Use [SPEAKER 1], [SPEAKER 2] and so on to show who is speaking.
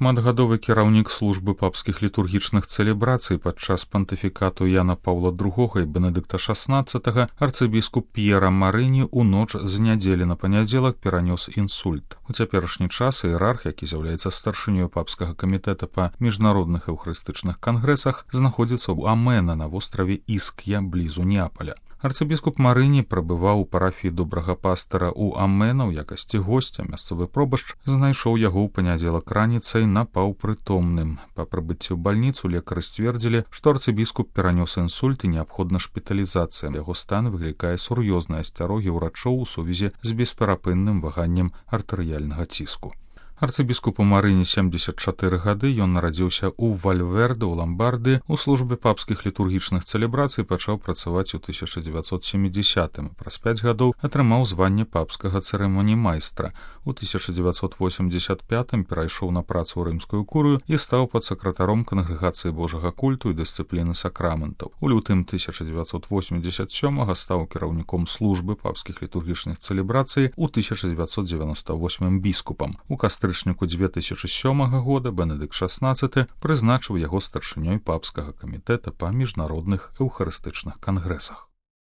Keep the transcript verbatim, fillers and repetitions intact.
[SPEAKER 1] Шматгадовы кіраўнік службы папскіх літургічных цэлебрацый падчас пантыфікату Яна Паўла другога і Бенедыкта шаснаццатага арцыбіскуп П'ера Марыні ў ноч з нядзелі на панядзелак перанёс інсульт. У цяперашні час іерарх, які з'яўляецца старшынёй папскага камітэта па міжнародных эўхарыстычных кангрэсах, знаходзіцца ў Амена на востраве Іск'я блізу Неаполя. Арцыбіскуп Марыні прабываў у парафіі добрага пастара ў Амена ў якасці госця. Мясцовы пробашч знайшоў яго ў панядзелак раніцай напаўпрытомным. Па прыбыцці ў бальніцу лекары сцвердзілі, што арцыбіскуп перанёс інсульт і неабходна шпіталізацыя. Яго стан выклікае сур'ёзныя асцярогі ўрачоў у сувязі з бесперапынным ваганнем артэрыяльнага ціску. Арцыбіскупу Марыні семдзесят чатыры гады, ён нарадзіўся ў Вальверде, у Ламбардыі, у службе папскіх літургічных цэлебрацый пачаў працаваць у тысяча дзевяцьсот сямідзесятым. Праз пяць гадоў атрымаў званне папскага цырымоніймайстра. У тысяча дзевяцьсот восемьдесят пятым перайшоў на працу ў рымскую курыю і стаў падсакратаром кангрэгацыі Божага культу і дысцыпліны сакраментаў. У лютым тысяча дзевяцьсот восемьдесят сёмага стаў кіраўніком службы папскіх літургічных цэлебрацый, у тысяча дзевяцьсот дзевяноста восьмым біскупам. У кастрычніку дзве тысячы сёмага года Бенедыкт шаснаццаты прызначыў яго старшынёй папскага камітэта па міжнародных эўхарыстычных кангрэсах.